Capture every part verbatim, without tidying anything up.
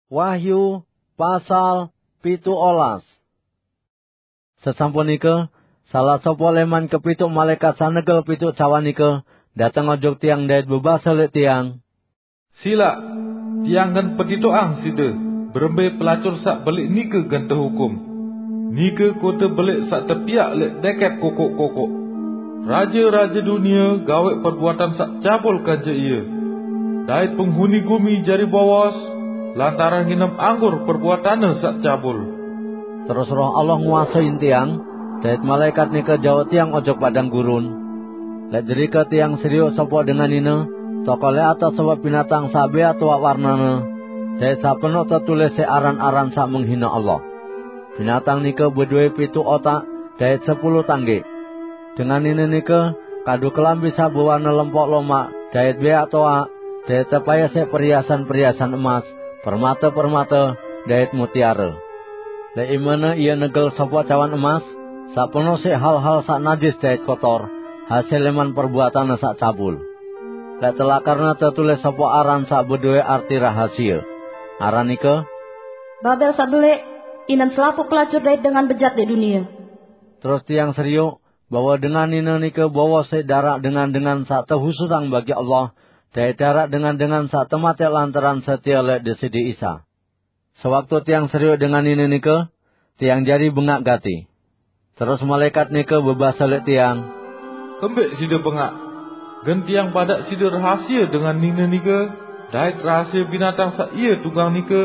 Wahyu pasal pitu olas. Sesampun nika, salah sapa leman kepitu malaikat sanegel pitu cawan nika dateng ojok tiang dait bebasa leq tiang, "Silaq, tiang gen petitoqang side, berembe pelacur saq beleq nike gen tehukum. Nike kote beleq saq tepiaq leq deket kokoq-kokoq. Raje-raje dunie gaweq perbuatan saq cabul kance ie, dait penghuni gumi jari bowos lantaran nginem anggur perbuatanne saq cabul." Terus Roh Allah nguasein tiang, dait malaikat nike jauq tiang ojok padang gurun. Leq derike tiang serioq sopoq dengan nine, tokol leq atas sopoq binatang saq beaq toaq warnane, dait saq penoq tetulis siq aran-aran saq menghine Allah. Binatang nike bedowe pitu otak dait sepulu tanggeq. Dengan nine nike kadu kelambi saq bewarne lempoq lomaq dait beaq toaq, dait tepaeq siq perhiasan-perhiasan emas, permate-permate, dait mutiare. Leq imene ie negel sopoq cawan emas, saq penoq siq hal-hal saq najis dait kotor, hasil leman perbuatanne saq cabul. Leq telakarne tetulis sopoq aran saq bedowe arti rahasie. Aran nike, "Babel saq beleq, inan selapuq pelacur dait dengan bejat leq dunie." Terus tiang serioq bahwe dengan nine nike bowos siq daraq dengan-dengan saq tehususang bagi Allah, dait daraq dengan-dengan saq temateq lantaran setie leq Deside Isa. Sewaktu tiang serioq dengan nine nike, tiang jari bengaq gati. Terus malaekat nike bebase leq tiang, "Kembeq side bengaq? Gen tiang badaq side rahasie dengan nine nike, dait rahasie binatang saq ie tunggang nike.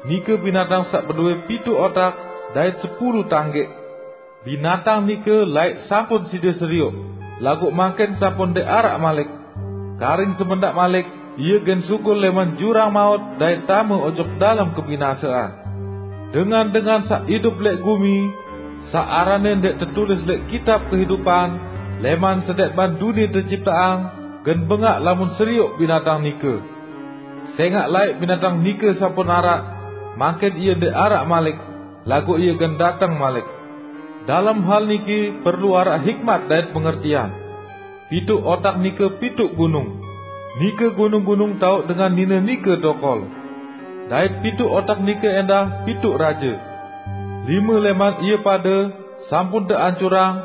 Nike binatang saq bedowe pitu otak dait sepulu tanggeq. Binatang nike laeq sampun side serioq, laguq mangkin sampun ndeq araq malik. Karing semendaq malik, ie gen sugul leman jurang maut dait tame ojok dalem kebinasean. Dengan-dengan saq idup leq gumi, saq aranne ndeq tetulis leq kitab kehidupan leman sendeqman dunie tecipteang, gen bengaq lamun serioq binatang nike. Sengaq laeq binatang nike sampun araq, mangkin ie ndeq araq malik, laguq ie gen dateng malik. Dalem hal niki perlu araq hikmat dait pengertian. Pitu otak nike pitu gunung. Nike gunung-gunung taoq dengan nine nike tokol. Dait pitu otak nike endah pitu raje. Lime leman ie pade sampun teancurang,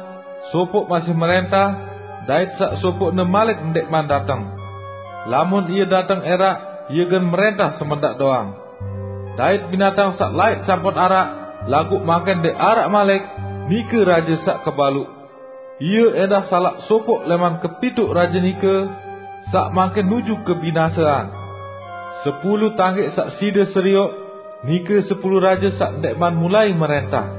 sopoq masih merentah, dait saq sopoqne malik ndeqman dateng. Lamun ie dateng eraq, ie gen merentah semendaq doang. Dait binatang saq laeq sampun araq, laguq mangkin ndeq araq malik, nike raje saq kebaluq. Ie endah salaq sopoq leman kepitu raje nike, saq mangkin nuju kebinasean. Sepulu tanggeq saq side serioq, nike sepulu raje saq ndeqman mulai merentah.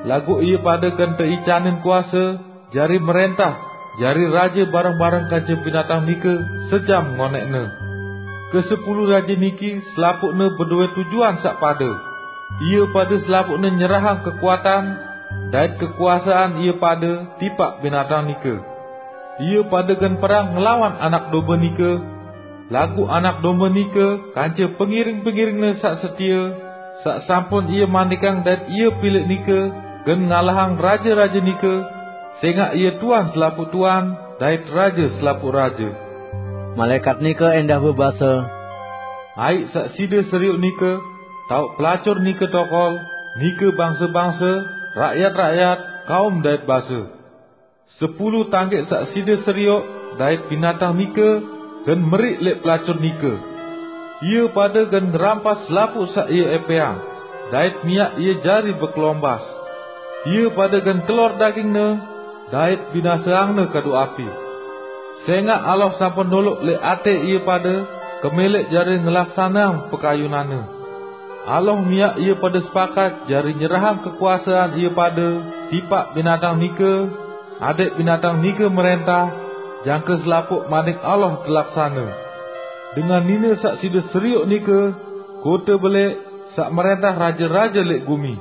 Laguq ie pade gen teicanin kuase, jari merentah, jari raje bareng-bareng kance binatang nike sejam ngoneqne. Kesepulu raje niki selapuqne bedowe tujuan saq pade. Ie pade selapuqne nyerahang kekuatan dait kekuasean ie pade tipaq binatang nike. Ie pade gen perang ngelawan Anak Dombe nike, laguq Anak Dombe nike kance pengiring-pengiringne saq setie, saq sampun ie mandikang dait ie pilih nike, gen ngalahang raje-raje nike, sengaq ie Tuan selapuq tuan dait Raje selapuq raje. Malaekat nike endah bebase, "Aiq saq side serioq nike, taoq pelacur nike tokol, nike bangse-bangse, rakyat-rakyat, kaum dait base. Sepulu tanggeq saq side serioq dait binatang nike gen meriq leq pelacur nike. Ie pade gen ngerampas selapuq saq ie epeang, dait miaq ie jari bekelombas. Ie pade gen kelor dagingne dait binaseangne kadu api. Sengaq Allah sampun noloq leq ate ie pade kemeleq jari ngelaksaneang pekayunanne. Allah miaq ie pade sepakat jari nyerahang kekuasean ie pade tipaq binatang nike, adeq binatang nike merentah, jangke selapuq manik Allah telaksane. Dengan nine saq side serioq nike, kote beleq saq merentah raje-raje leq gumi.